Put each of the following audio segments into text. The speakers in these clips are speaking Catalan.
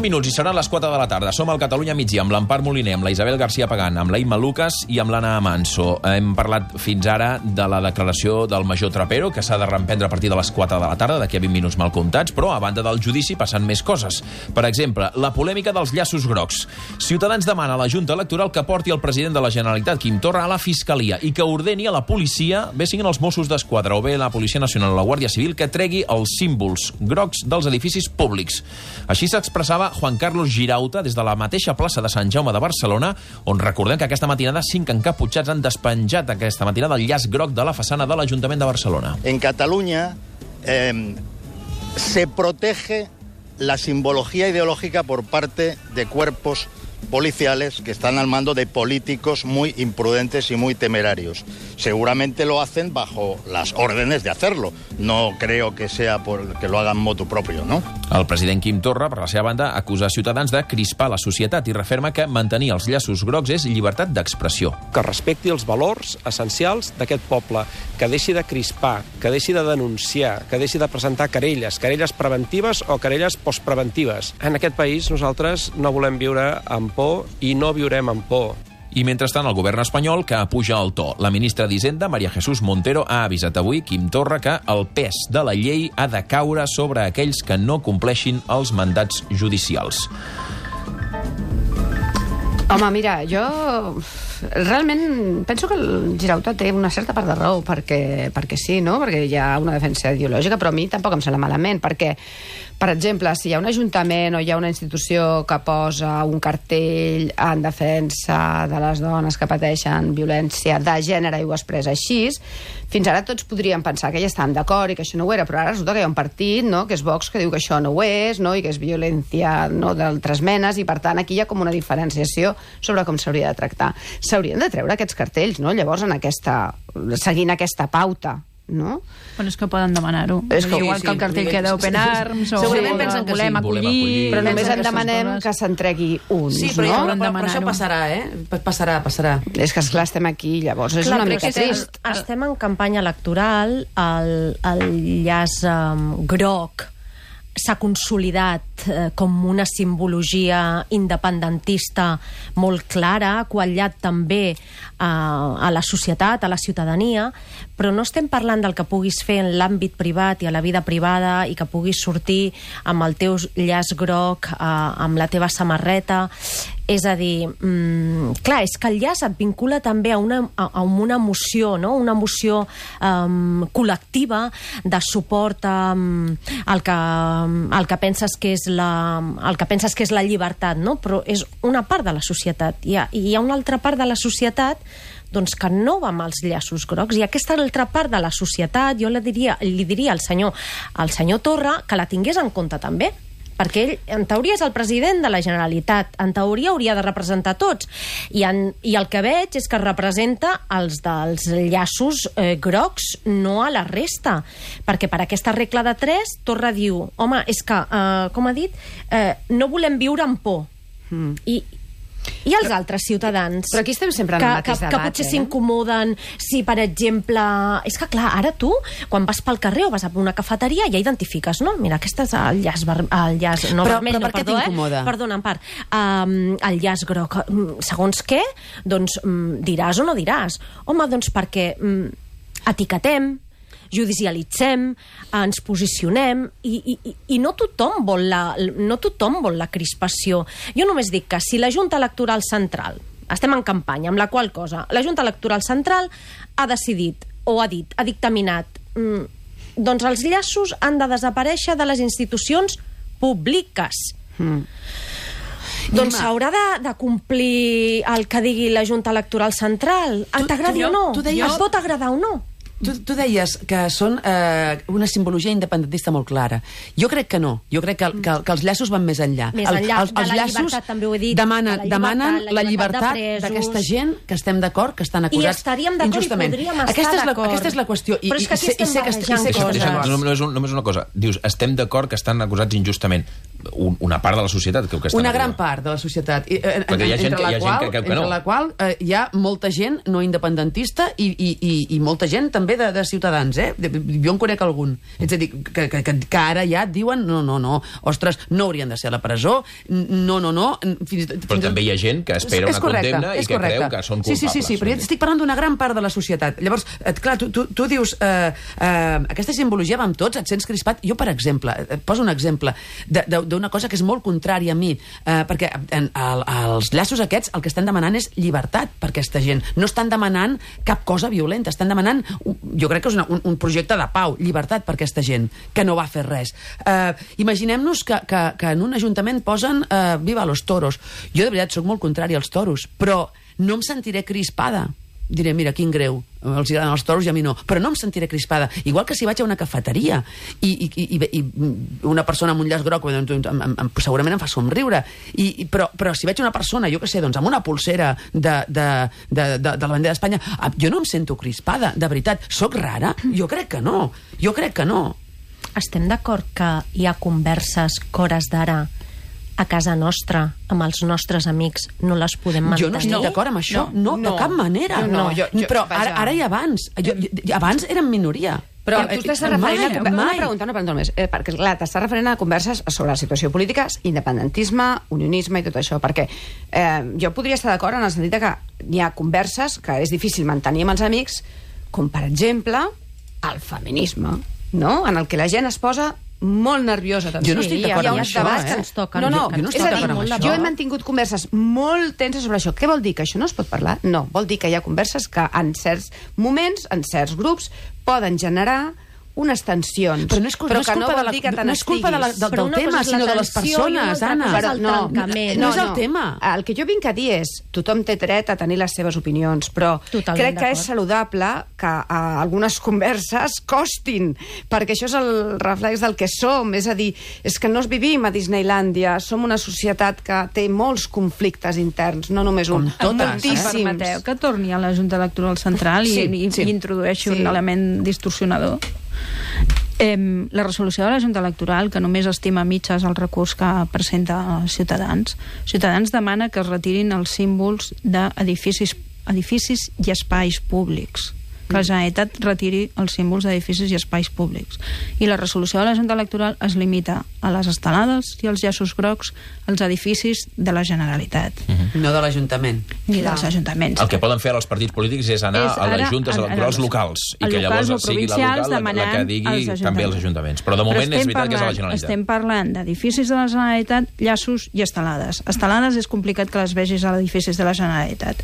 minuts i seran les 4 de la tarda. Som al Catalunya Migdia amb l'Empar Moliner, amb la Isabel García Pagán, amb la Imma Lucas i amb l'Anna Manso. Hem parlat fins ara de la declaració del major Trapero, que s'ha de reemprendre a partir de les 4 de la tarda, d'aquí a 20 minuts mal comptats, però a banda del judici passen més coses. Per exemple, la polèmica dels llaços grocs. Ciutadans demana a la Junta Electoral que porti el president de la Generalitat, Quim Torra, a la Fiscalia i que ordeni a la policia, bé siguin els Mossos d'Esquadra o bé la Policia Nacional o la Guàrdia Civil, que tregui els símbols grocs dels edificis públics. Així s'expressava Juan Carlos Girauta des de la mateixa plaça de Sant Jaume de Barcelona, on recordem que aquesta matinada 5 encaputxats han despenjat aquesta matinada el llaç groc de la façana de l'Ajuntament de Barcelona. En Cataluña se protege la simbología ideológica por parte de cuerpos policiales que están al mando de políticos muy imprudentes y muy temerarios. Seguramente lo hacen bajo las órdenes de hacerlo. No creo que sea porque lo hagan motu propio, ¿no? El president Quim Torra, per la seva banda, acusa Ciutadans de crispar la societat i referma que mantenir els llaços grocs és llibertat d'expressió. Que respecti els valors essencials d'aquest poble, que deixi de crispar, que deixi de denunciar, que deixi de presentar querelles preventives o querelles postpreventives. En aquest país nosaltres no volem viure amb por i no viurem amb por. I mentrestant el govern espanyol que apuja el to. La ministra d'Hisenda, María Jesús Montero, ha avisat avui Quim Torra que el pes de la llei ha de caure sobre aquells que no compleixin els mandats judicials. Home, mira, jo realment penso que el Girauta té una certa part de raó, perquè sí, no? Perquè hi ha una defensa ideològica, però a mi tampoc em sembla malament, perquè, per exemple, si hi ha un ajuntament o hi ha una institució que posa un cartell en defensa de les dones que pateixen violència de gènere i ho expressa així, fins ara tots podríem pensar que ja estàvem d'acord i que això no ho era, però ara resulta que hi ha un partit, no?, que és Vox, que diu que això no ho és, no?, i que és violència, no?, d'altres menes, i per tant aquí hi ha com una diferenciació sobre com s'hauria de tractar. S'haurien de treure aquests cartells, no?, llavors seguint aquesta pauta, no? Bueno, és que poden demanar-ho. Igual que el cartell que d'Open Arms, o segurament pensen que volem acollir... Però només en demanem que s'entregui uns, sí, però això passarà, Passarà. És que, esclar, estem aquí, llavors és una mica trist. Estem en campanya electoral, el llaç groc s'ha consolidat com una simbologia independentista molt clara, ha quallat també a la societat, a la ciutadania, però no estem parlant del que puguis fer en l'àmbit privat i a la vida privada i que puguis sortir amb el teu llaç groc, amb la teva samarreta. És a dir, clar, és que el llaç et vincula també a una emoció, no?, una emoció col·lectiva de suport al que penses que és la llibertat, no? Però és una part de la societat. I hi ha una altra part de la societat doncs que no va amb els llaços grocs, i aquesta altra part de la societat jo li diria al senyor Torra que la tingués en compte també, perquè ell, en teoria, és el president de la Generalitat, en teoria hauria de representar tots, i el que veig és que representa els dels llaços grocs, no a la resta, perquè per aquesta regla de 3 Torra diu, home, és que, com ha dit, no volem viure amb por, i els altres ciutadans però aquí estem sempre en el mateix debat, que potser s'incomoden si, per exemple, és que clar, ara tu quan vas pel carrer o vas a una cafeteria ja identifiques, no? Mira, aquest és el llaç no, vermell, però per què t'incomoda? Perdona, en part, el llaç groc, segons què, doncs diràs o no diràs? Home, doncs perquè etiquetem, judicialitzem, ens posicionem i no tothom vol la crispació. Jo només dic que si la Junta Electoral Central, estem en campanya, amb la qual cosa la Junta Electoral Central ha decidit, o ha dictaminat, doncs els llaços han de desaparèixer de les institucions públiques. Doncs s'haurà de complir el que digui la Junta Electoral Central. T'agradi o no? Et pot agradar o no? Tu deies que són una simbologia independentista molt clara. Jo crec que no. Jo crec que els llaços van més enllà. Els llaços demanen la llibertat d'aquesta gent que estem d'acord, que estan acusats injustament. I estaríem d'acord i podríem estar d'acord. Aquesta és la qüestió. Però és que aquí estem barrejant coses. Només una cosa. Dius, estem d'acord que estan acusats injustament. Una part de la societat que estan... Una gran part de la societat. Perquè hi ha gent que creu que no. Entre la qual hi ha molta gent no independentista i molta gent també també de ciutadans, jo en conec algun. És a dir, que ara ja et diuen no, ostres, no haurien de ser a la presó, no. Però també hi ha gent que espera una condemna i que creu que són culpables. Sí, però jo estic parlant d'una gran part de la societat. Llavors, clar, tu dius, aquesta simbologia va amb tots, et sents crispat. Jo, per exemple, et poso un exemple d'una cosa que és molt contrària a mi, perquè els llaços aquests el que estan demanant és llibertat per aquesta gent. No estan demanant cap cosa violenta, estan demanant, jo crec que és un projecte de pau, llibertat per aquesta gent, que no va fer res. Imaginem-nos que en un ajuntament posen viva los toros. Jo de veritat soc molt contrari als toros, però no em sentiré crispada. Diré, mira, quin greu, els agraden els toros i a mi no, però no em sentiré crispada. Igual que si vaig a una cafeteria i una persona amb un llaç groc segurament em fa somriure, però si veig una persona, jo què sé, doncs amb una pulsera de la bandera d'Espanya, jo no em sento crispada, de veritat. Soc rara? Jo crec que no. Estem d'acord que hi ha converses que hores d'ara a casa nostra, amb els nostres amics, no les podem mantenir? Jo no estic d'acord amb això, no, de cap manera. Però ara i abans. Abans érem minoria. Però tu t'estàs referint una pregunta només, perquè clar, t'estàs referint a converses sobre la situació política, independentisme, unionisme i tot això, perquè jo podria estar d'acord en el sentit que hi ha converses que és difícil mantenir amb els amics, com per exemple el feminisme, no? En el que la gent es posa molt nerviosa. Jo no estic d'acord amb això, Jo he mantingut converses molt tenses sobre això. Què vol dir? Que això no es pot parlar? No, vol dir que hi ha converses que en certs moments, en certs grups, poden generar unes tensions. Però no és culpa del tema, sinó de les persones, Anna. No és el tema. El que jo vinc a dir és, tothom té dret a tenir les seves opinions, però crec que és saludable que algunes converses costin, perquè això és el reflex del que som. És a dir, és que no vivim a Disneylàndia, som una societat que té molts conflictes interns, no només un. Moltíssims. Permeteu que torni a la Junta Electoral Central i introdueixi un element distorsionador. La resolució de la Junta Electoral, que només estima mitges el recurs que presenta Ciutadans demana que es retirin els símbols d'edificis i espais públics, que la Generalitat retiri els símbols d'edificis i espais públics. I la resolució de la Junta Electoral es limita a les estelades i els llaços grocs als edificis de la Generalitat. No de l'Ajuntament. Ni dels ajuntaments. El que poden fer els partits polítics és anar a les juntes electorals locals i que llavors sigui la local la que digui també els ajuntaments. Però de moment és veritat que és a la Generalitat. Estem parlant d'edificis de la Generalitat, llaços i estelades. Estelades és complicat que les vegis a edificis de la Generalitat.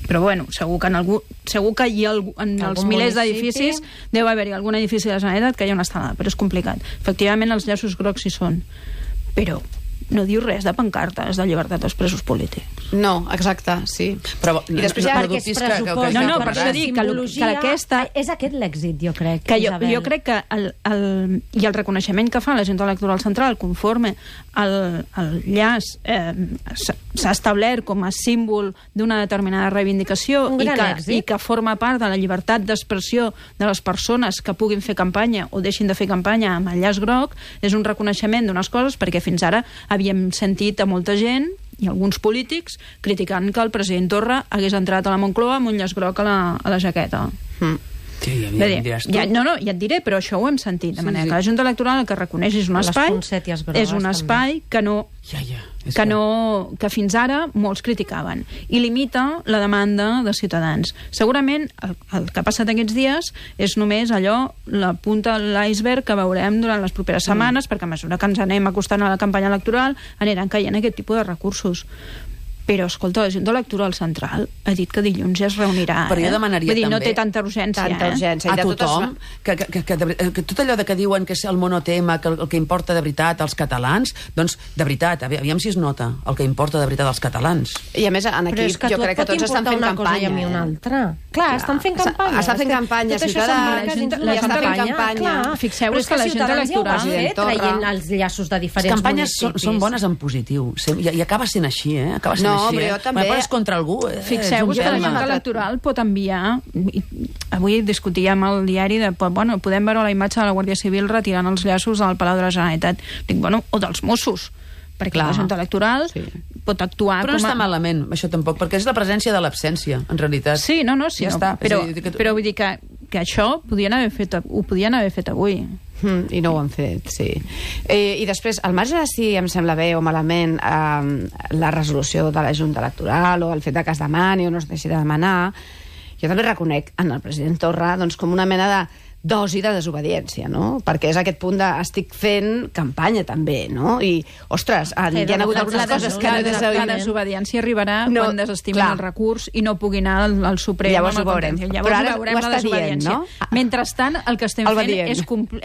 Però bueno, segur que hi ha en els milers d'edificis deu haver-hi algun edifici de la Generalitat que hi ha una estelada, però és complicat. Efectivament els llaços grocs hi són, però no diu res de pancartes de llibertat dels presos polítics. No, exacte, sí. Però i després ja perquè es pressuposa per això dic que aquesta... És aquest l'èxit, jo crec, Isabel. Jo crec que i el reconeixement que fa la Junta Electoral Central conforme el llaç s'ha establert com a símbol d'una determinada reivindicació i que forma part de la llibertat d'expressió de les persones que puguin fer campanya o deixin de fer campanya amb el llaç groc, és un reconeixement d'unes coses, perquè fins ara havíem sentit a molta gent i alguns polítics criticant que el president Torra hagués entrat a la Moncloa amb un llaç groc a la jaqueta. Ja et diré, però això ho hem sentit, de manera que la Junta Electoral el que reconeix és un espai que fins ara molts criticaven i limita la demanda de Ciutadans. Segurament el que ha passat aquests dies és només allò, la punta de l'iceberg que veurem durant les properes setmanes, perquè a mesura que ens anem acostant a la campanya electoral aniran caient aquest tipus de recursos. Però, escolta, la Junta Electoral Central ha dit que dilluns ja es reunirà. Però jo demanaria també... no té tanta urgència. A tothom, que tot allò que diuen que és el monotema, que el que importa de veritat als catalans, doncs, de veritat, aviam si es nota el que importa de veritat als catalans. I a més, aquí jo crec que tots estan fent campanya. I una altra. Clar, estan fent campanya. Estan fent campanya, la campanya. Fixeu-vos que la Junta Electoral traient els llaços de diferents municipis. Les campanyes són bones en positiu. I acaba sent així, Acaba sent no, però jo també... Quan contra algú... Fixeu-vos que la Junta Electoral pot enviar... Avui discutíem al diari de... Bueno, podem veure la imatge de la Guàrdia Civil retirant els llaços al Palau de la Generalitat. Dic, bueno, o dels Mossos, perquè la Junta Electoral pot actuar però no està malament, això tampoc, perquè és la presència de l'absència, en realitat. Sí, no, ja està. Però vull dir que això ho podien haver fet avui. I no ho han fet, sí. I després, al marge de si em sembla bé o malament la resolució de la Junta Electoral o el fet que es demani o no es deixi de demanar, jo també reconec en el president Torra doncs, com una mena de dosi de desobediència, no? Perquè és aquest punt de estic fent campanya també, no? I, ostres, hi ha hagut algunes coses que la desobediència arribarà quan desestimin el recurs i no pugui anar al Suprem. Llavors ho veurem. Llavors ho veurem la desobediència. Mentrestant, el que estem fent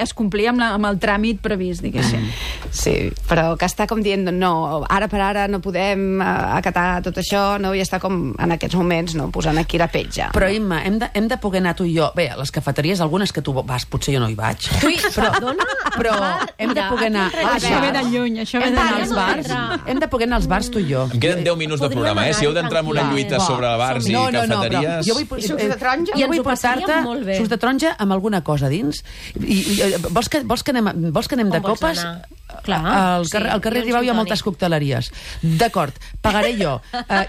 és complir amb el tràmit previst, diguéssim. Sí, però que està com dient, no, ara per ara no podem acatar tot això, no? I està com en aquests moments, no? Posant aquí la petja. Però, Imma, hem de poder anar tu i jo. Bé, a les cafeteries, algunes que tu vas, potser jo no hi vaig. Però hem de poder anar... Això ve de lluny, això ve d'anar als bars. Hem de poder anar als bars tu i jo. Em queden 10 minuts de programa, Si heu d'entrar en una lluita sobre bars i cafeteries... Jo vull portar-te sucs de taronja amb alguna cosa dins. Vols que anem de copes? Al carrer Ribau hi ha moltes cocteleries. D'acord, pagaré jo.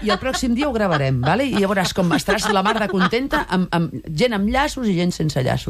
I el pròxim dia ho gravarem, i ja veuràs com estaràs la mar de contenta amb gent amb llaços i gent sense llaços.